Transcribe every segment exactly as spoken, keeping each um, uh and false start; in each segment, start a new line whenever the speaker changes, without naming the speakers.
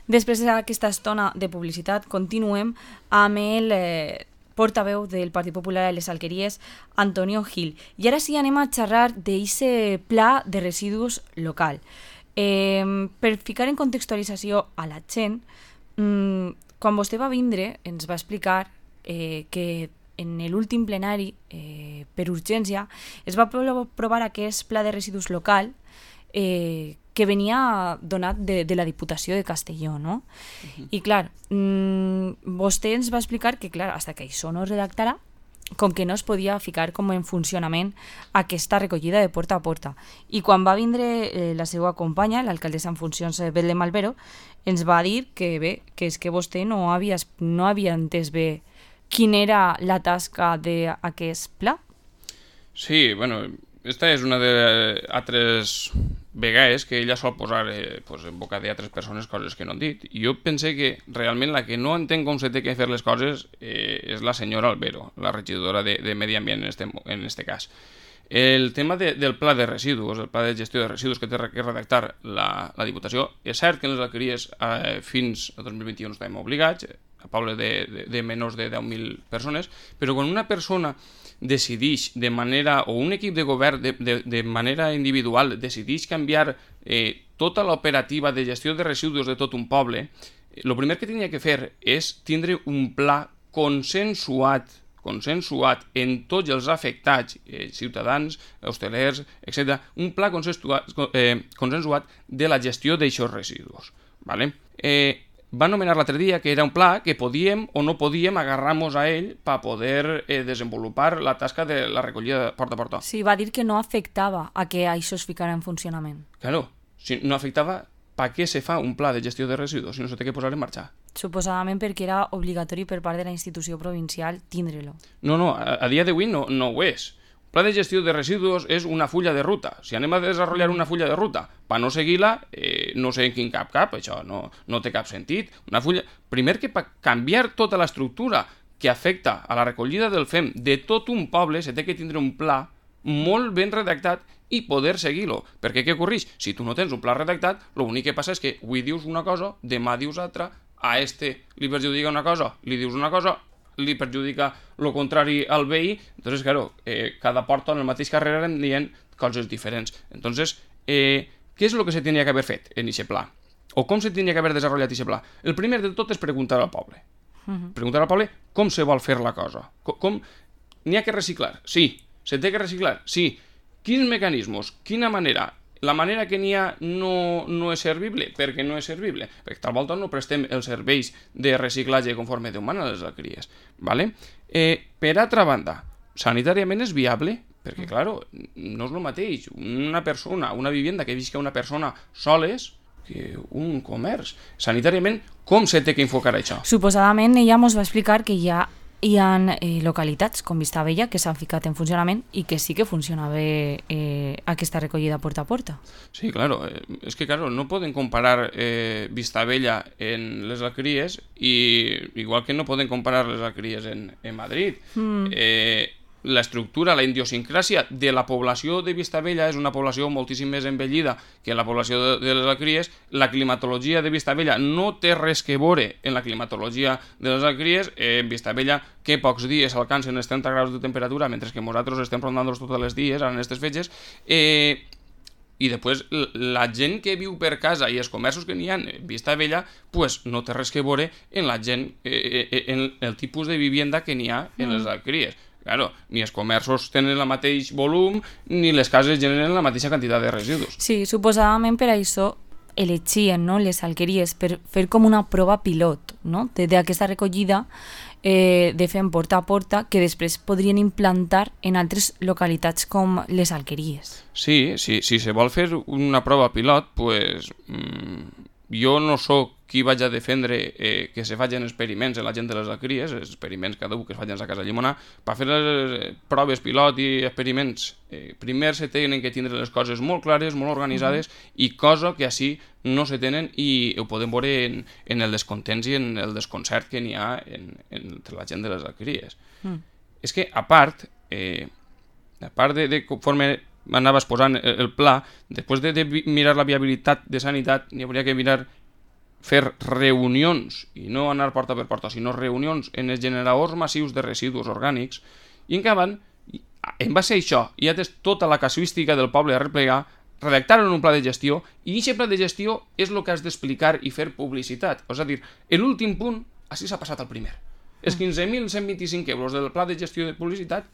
Després d'aquesta estona de publicitat, continuem amb el eh, portaveu del Partit Popular a les Alqueries, Antonio Gil. I ara sí anem a xerrar d'aquest pla de residus local. Eh, per ficar en contextualització a la gent, mmm, quan vostè va vindre ens va explicar eh, que en l'últim plenari, eh, per urgència, es va aprovar aquest pla de residus local eh, que venia donat de, de la Diputació de Castelló, no? Uh-huh. I clar, mmm, vostè ens va explicar que clar, fins que això no es redactarà, com que no es podia ficar com en funcionament aquesta recollida de porta a porta. I quan va vindre eh, la seva companya, l'alcaldessa en funcions eh, Belén Malvero, ens va dir que bé, que és que vostè no havia, no havia entès bé quina era la tasca d'aquest pla.
Sí, bueno, esta és una de altres vegades que ella sol posar eh, pues, en boca d'altres persones coses que no han dit. I jo pense que realment la que no entén com se té que fer les coses eh, és la senyora Albero, la regidora de, de Medi Ambient en este, en este cas. El tema de, del pla de residus, el pla de gestió de residus que té que redactar la, la Diputació, és cert que en les alqueries eh, fins a dos mil vint-i-u no estàvem obligats, a pobles de, de, de menys de deu mil persones, però quan una persona decideix de manera, o un equip de govern de, de, de manera individual decideix canviar eh, tota l'operativa de gestió de residus de tot un poble, el primer que tenia que fer és tindre un pla consensuat consensuat en tots els afectats, eh, ciutadans, hostelers, etcètera, un pla consensuat, eh, consensuat de la gestió d'aixòs residus. ¿Vale? Eh, va anomenar l'altre dia que era un pla que podíem o no podíem agarrar-nos a ell per poder eh, desenvolupar la tasca de la recollida porta a porta.
Sí, va dir que no afectava a que això es ficara en funcionament.
Claro, si no afectava, per què se fa un pla de gestió de residus si no se té que posar en marxa?
Suposadament perquè era obligatori per part de la institució provincial tindre-lo.
No, no, a, a dia d'avui no, no ho és. El pla de gestió de residus és una fulla de ruta. Si anem a desenvolupar una fulla de ruta per no seguir-la, eh, no sé en quin cap cap, això no, no té cap sentit. Una fulla... Primer que per canviar tota l'estructura que afecta a la recollida del fem de tot un poble, se té que tindre un pla molt ben redactat i poder seguir-lo. Perquè què ocorreix? Si tu no tens un pla redactat, l'únic que passa és que avui dius una cosa, demà dius altra, a este li perjudica una cosa, li dius una cosa, li perjudica el contrari al veí, entonces, claro, eh, cada porta en el mateix carrer anem dient coses diferents. Entonces, eh, què és el que se tenia que haver fet en aquest pla? O com se tenia que haver desenvolupat aquest pla? El primer de tot és preguntar al poble. Uh-huh. Preguntar al poble com se vol fer la cosa. Com, com... N'hi ha que reciclar? Sí. Se té que reciclar? Sí. Quins mecanismes? Quina manera? La manera que n'hi ha no, no és servible, perquè no és servible, perquè tal volta no prestem els serveis de reciclatge conforme Déu mana a les alqueries. ¿Vale? Eh, per altra banda, sanitàriament és viable, perquè, claro, no és el mateix una persona, una vivienda que visca una persona soles que un comerç. Sanitàriament, com se té que enfocar això?
Suposadament, ella ens va explicar que hi ha hi ha eh, localitats com Vistabella que s'han ficat en funcionament i que sí que funciona bé eh, aquesta recollida porta a porta.
Sí, claro. Eh, és que, claro, no poden comparar eh, Vistabella en les alqueries i igual que no poden comparar les alqueries en, en Madrid. Mm. Eh, l'estructura, la idiosincràsia de la població de Vistabella és una població moltíssim més envellida que la població de, de les alqueries. La climatologia de Vistabella no té res que veure en la climatologia de les alqueries. Eh, en Vistabella, que pocs dies alcancen els trenta graus de temperatura, mentre que nosaltres estem rondant-los tots els dies, en aquestes fetges. Eh, I després, la gent que viu per casa i els comerços que n'hi ha en Vistabella, pues, no té res que veure en la gent, eh, en el tipus de vivienda que n'hi ha en les alqueries. Claro, ni els comerços tenen el mateix volum ni les cases generen la mateixa quantitat de residus.
Sí, suposadament per això elegien, no, les alqueries per fer com una prova pilot, no, d'aquesta recollida eh, de fem porta a porta que després podrien implantar en altres localitats com les alqueries.
Sí, sí, si se vol fer una prova pilot, pues, mmm, jo no sóc qui vaig a defendre eh, que se facin experiments en la gent de les alqueries, experiments cada un que es facin a casa llimonar. Per fer les eh, proves pilot i experiments, eh, primer se tenen que tindre les coses molt clares, molt organitzades, mm-hmm. i cosa que així no se tenen i ho podem veure en, en el descontents i en el desconcert que n'hi ha en, en, entre la gent de les alqueries. Mm. És que, a part, eh, a part de, de conforme anaves posant el pla, després de, de mirar la viabilitat de sanitat, n'hi hauria que mirar fer reunions, i no anar porta per porta, sinó reunions en els generadors massius de residus orgànics, i en acaben, en base a això, i ja tens tota la casuística del poble a replegar, redactaron un pla de gestió, i aquest pla de gestió és el que has d'explicar i fer publicitat. És a dir, l'últim punt, així s'ha passat al primer. Els quinze mil cent vint-i-cinc euros del pla de gestió de publicitat,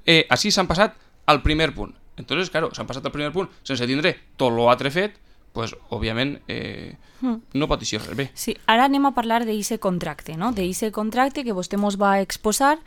eh, així s'han passat al primer punt. Entonces, claro, s'han passat al primer punt sense tindre tot l'altre fet, pues, òbviament, eh, no pot eixir res bé.
Sí, ara anem a parlar d'eixe contracte, no? D'eixe contracte que vostè mos va exposar,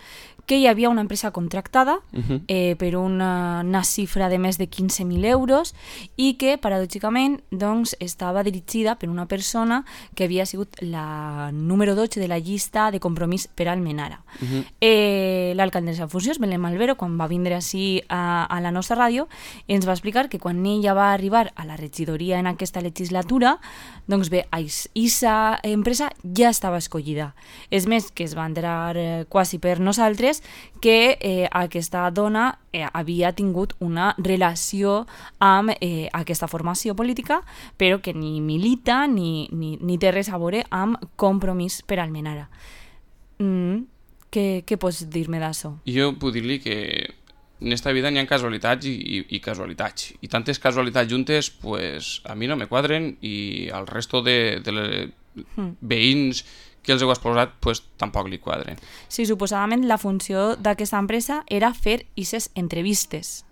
que hi havia una empresa contractada
Uh-huh.
eh, per una, una xifra de més de quinze mil euros i que, paradòxicament, doncs, estava dirigida per una persona que havia sigut la número dotze de la llista de compromís per Almenara.
Uh-huh.
Eh, L'alcaldessa en funcions, Belén Malvero, quan va vindre així a, a la nostra ràdio, ens va explicar que quan ella va arribar a la regidoria en aquesta legislatura, doncs bé, aquesta empresa ja estava escollida. És més, que es va enterar eh, quasi per nosaltres que eh, aquesta dona eh, havia tingut una relació amb eh, aquesta formació política, però que ni milita ni, ni, ni té res a veure amb Compromís per Almenara. Mm, què, què pots dir-me d'això?
Jo puc dir-li que en esta vida n'hi ha casualitats i, i, i casualitats. I tantes casualitats juntes, pues, a mi no me quadren i al resto de, de les
Mm.
veïns que els heu exposat, pues, tampoc li quadren.
Sí, suposadament la funció d'aquesta empresa era fer aquestes entrevistes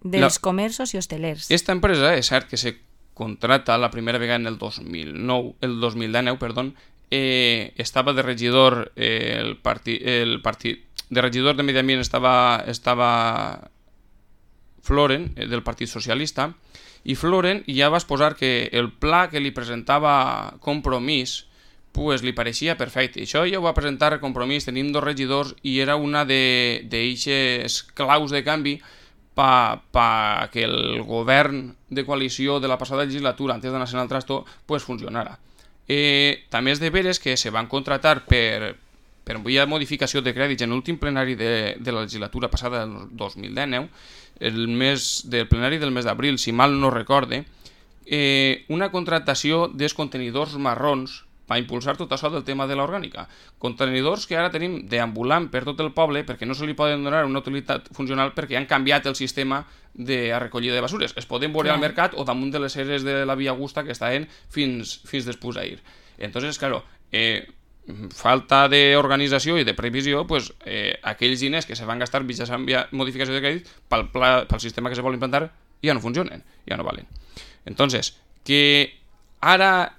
dels
La...
comerços i hostelers.
Esta empresa és cert que se contrata la primera vegada en el dos mil nou, el dos mil dinou, perdó, eh, estava de regidor eh, el partit el partit de regidor de Medi Ambient estava estava Floren, eh, del Partit Socialista, i Floren ja va exposar que el pla que li presentava Compromís pues, li pareixia perfecte. Això ja ho va presentar Compromís, tenim dos regidors i era una d'eixes claus de canvi pa, pa que el govern de coalició de la passada legislatura, antes d'anar al trasto, pues, funcionara. Eh, també és de veres que se van contratar per, per via modificació de crèdits en l'últim plenari de, de la legislatura passada del dos mil dinou, el mes del plenari del mes d'abril, si mal no recorde, eh, una contractació dels contenidors marrons per impulsar tot això del tema de l'orgànica. Contenidors que ara tenim deambulant per tot el poble perquè no se li poden donar una utilitat funcional perquè han canviat el sistema de recollida de basures. Es poden veure al mercat o damunt de les eres de la Via Augusta que estaven fins, fins després d'ahir. Entonces, claro, eh, falta d'organització i de previsió, pues, eh, aquells diners que se van gastar mitjançant modificació de crèdit pel, pla, pel sistema que se vol implantar ja no funcionen, ja no valen. Entonces, que ara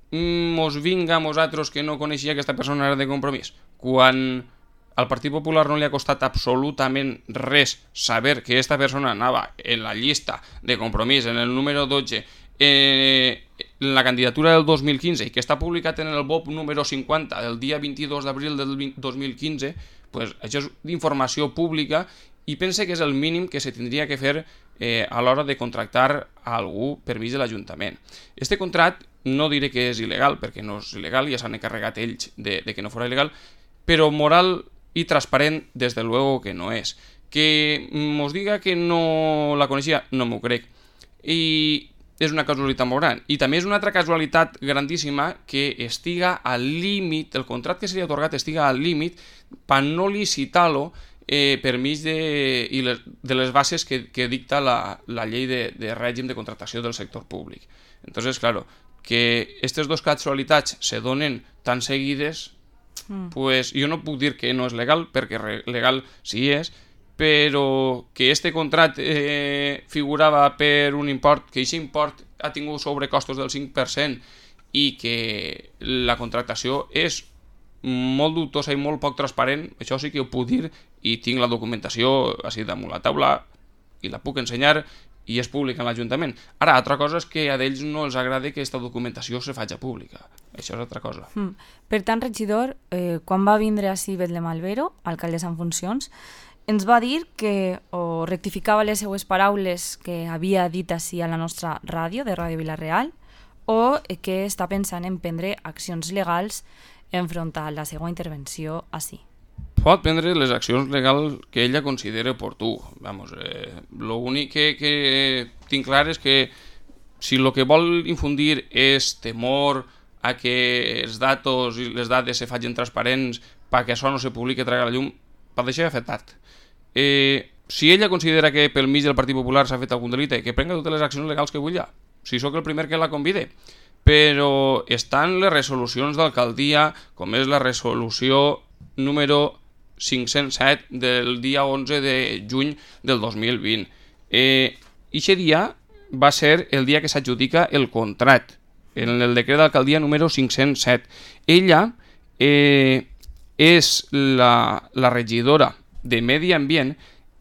mos vinga a nosaltres que no coneixia que aquesta persona era de Compromís, quan al Partit Popular no li ha costat absolutament res saber que aquesta persona anava en la llista de Compromís, en el número dotze, eh, en la candidatura del dos mil quinze i que està publicat en el B O P número cinquanta del dia vint-i-dos d'abril del dos mil quinze, pues, això és d'informació pública i pense que és el mínim que se tindria que fer eh, a l'hora de contractar a algú per mig de l'Ajuntament. Este contract no diré que és il·legal, perquè no és il·legal, ja s'han encarregat ells de, de que no fos il·legal, però moral i transparent, des de luego que no és. Que mos diga que no la coneixia, no m'ho crec. I és una casualitat molt gran. I també és una altra casualitat grandíssima que estiga al límit, el contracte que seria atorgat estiga al límit per no licitar-lo eh, per mig de, i les, de les bases que, que dicta la, la llei de, de règim de contractació del sector públic. Entonces, claro, que aquestes dues casualitats se donen tan seguides, mm. pues jo no puc dir que no és legal, perquè legal sí és, però que este contracte eh, figurava per un import, que aquest import ha tingut sobrecostos del cinc per cent i que la contractació és molt dubtosa i molt poc transparent, això sí que ho puc dir i tinc la documentació així damunt la taula i la puc ensenyar i és pública en l'Ajuntament. Ara, altra cosa és que a ells no els agrada que aquesta documentació se faci pública. Això és altra cosa.
Mm. Per tant, regidor, eh, quan va vindre així Belén Malvero, alcaldessa en funcions, ens va dir que o rectificava les seues paraules que havia dit així a la nostra ràdio, de Ràdio Vila-real, o que està pensant en prendre accions legals enfront a la seva intervenció així.
Pot prendre les accions legals que ella considera oportú. Vamos, eh, l'únic que, que tinc clar és que si el que vol infundir és temor a que els datos i les dades se facin transparents perquè això no se publiqui i tragui a la llum, per deixar ja fet tard. Eh, si ella considera que pel mig del Partit Popular s'ha fet algun delicte, que prenga totes les accions legals que vulgui, si sóc el primer que la convide. Però estan les resolucions d'alcaldia, com és la resolució número cinc-cents set del dia onze de juny del dos mil vint. Eh, Ixe dia va ser el dia que s'adjudica el contracte, en el decret d'alcaldia número cinc-cents set. Ella eh, és la, la regidora de Medi Ambient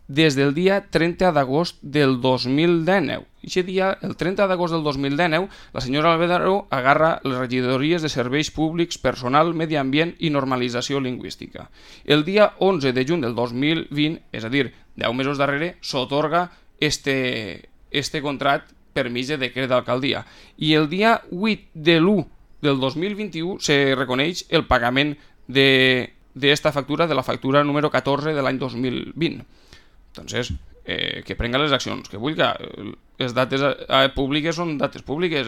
des del dia trenta d'agost del dos mil dinou. Aquest dia, el trenta d'agost del dos mil dinou, la senyora Albero agarra les regidories de serveis públics, personal, medi ambient i normalització lingüística. El dia onze de juny del dos mil vint, és a dir, deu mesos darrere, s'atorga este, este contracte per mig de decret d'alcaldia. I el dia vuit de l'u del dos mil vint-i-u se reconeix el pagament d'esta factura, de la factura número catorze de l'any dos mil vint. Entonces, eh, que prenga les accions que vulgui. Les dates eh, públiques són dates públiques.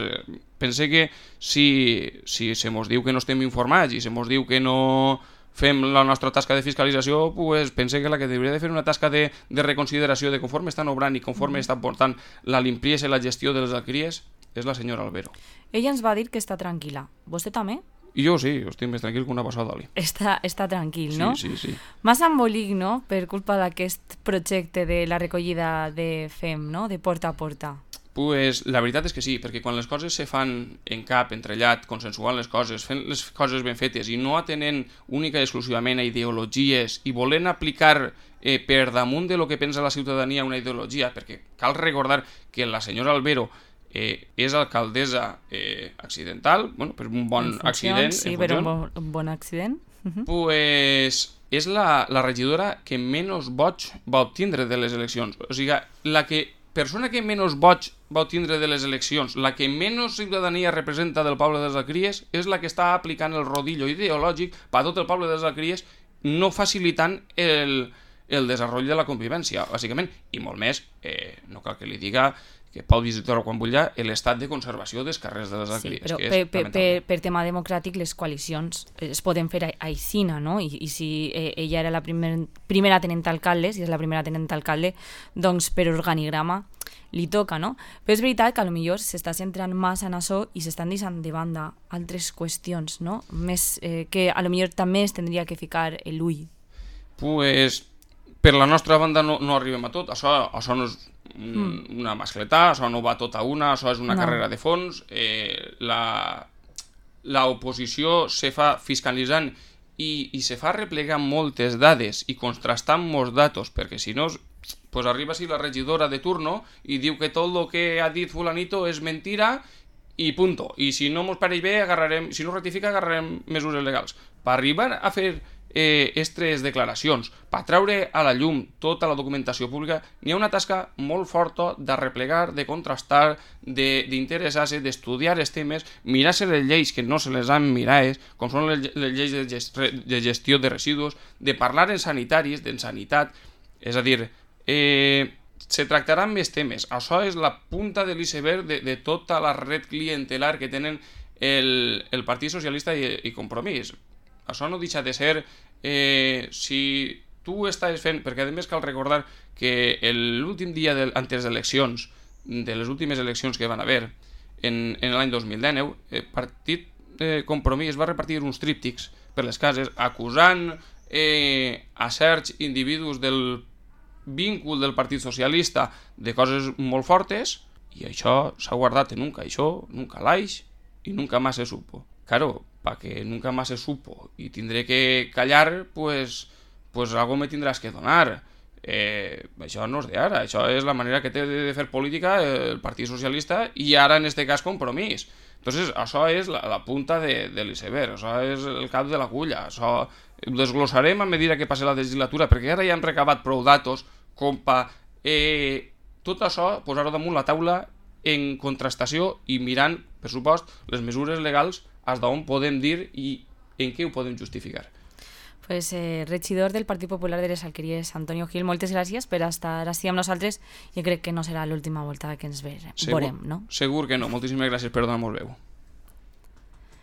Pense que si, si se mos diu que no estem informats i se mos diu que no fem la nostra tasca de fiscalització, pues pense que la que hauria de fer una tasca de, de reconsideració de conforme estan obrant i conforme estan portant la limpiesa i la gestió de les alqueries és la senyora Albero.
Ella ens va dir que està tranquil·la. Vostè també?
I jo sí, estic més tranquil que una passada d'oli.
Està, està tranquil, no?
Sí, sí, sí.
Més embolic, no?, per culpa d'aquest projecte de la recollida de F E M, no?, de porta a porta.
Pues la veritat és que sí, perquè quan les coses se fan en cap, entrellat, consensuant les coses, fent les coses ben fetes i no atenent única i exclusivament a ideologies i volent aplicar eh, per damunt de lo que pensa la ciutadania una ideologia, perquè cal recordar que la senyora Albero Eh, és alcaldessa eh, accidental, bueno, per un bon
funcions,
accident,
sí, per un bon, un bon accident, uh-huh.
Pues és la, la regidora que menys vots va obtindre de les eleccions. O sigui, la que, persona que menys vots va obtindre de les eleccions, la que menys ciutadania representa del poble de les Alqueries, és la que està aplicant el rodillo ideològic per a tot el poble de les Alqueries, no facilitant el, el desenvolupament de la convivència, bàsicament, i molt més, eh, no cal que li diga que pot visitar-ho quan vulgui, l'estat de conservació dels carrers de les Alqueries.
Sí, però
que
per,
és
per, per, per tema democràtic les coalicions es poden fer aixina, no? I, i si eh, ella era la primer, primera tenent alcalde, si és la primera tenent alcalde, doncs per organigrama li toca, no? Però és veritat que potser s'està centrant massa en això i s'estan deixant de banda altres qüestions, no? Més eh, que potser també es tindria que ficar l'ull.
Pues, per la nostra banda no, no arribem a tot. Això, això no és mm. una mascletà, això no va tot a una, això és una no. carrera de fons. Eh, la, la oposició se fa fiscalitzant i, i se fa replegant moltes dades i contrastant molts datos, perquè si no, pues arriba si la regidora de turno i diu que tot el que ha dit fulanito és mentira i punto. I si no mos pareix bé, agarrarem, si no rectifica, agarrarem mesures legals. Per arribar a fer eh, estres declaracions, per treure a la llum tota la documentació pública, n'hi ha una tasca molt forta de replegar, de contrastar, d'interessar-se, de, d'estudiar els temes, mirar-se les lleis que no se les han mirades, com són les, les lleis de, gest, de gestió de residus, de parlar en sanitaris, en sanitat, és a dir, eh, se tractaran més temes. Això és la punta de l'iceberg de, de tota la red clientelar que tenen el, el Partit Socialista i, i Compromís. Això no deixa de ser, eh, si tu estàs fent, perquè a més cal recordar que l'últim dia de, antes d'eleccions, de les últimes eleccions que van haver en, en l'any dos mil dinou, el Partit eh, Compromís va repartir uns tríptics per les cases acusant eh, a certs individus del víncul del Partit Socialista de coses molt fortes, i això s'ha guardat en un caixó, nunca l'aix i nunca más se supo. Claro, para que nunca más se supo y tindré que callar, pues, pues algo me tindràs que donar. Eh, això no és d'ara, això és la manera que té de fer política el Partit Socialista i ara en este cas Compromís. Entonces, això és la, la punta de, de l'iceberg, això és el cap de l'agulla, això ho desglossarem a mesura que passi la legislatura, perquè ara ja hem recabat prou datos com per eh, tot això posar-ho damunt la taula en contrastació i mirant, per supost, les mesures legals fins d'on podem dir i en què ho podem justificar.
Pues, eh, regidor del Partit Popular de les Alqueries, Antonio Gil, moltes gràcies per estar així amb nosaltres. Jo crec que no serà l'última volta que ens veurem,
Segur,
veurem, no?
Segur que no. Moltíssimes gràcies per donar-nos veu.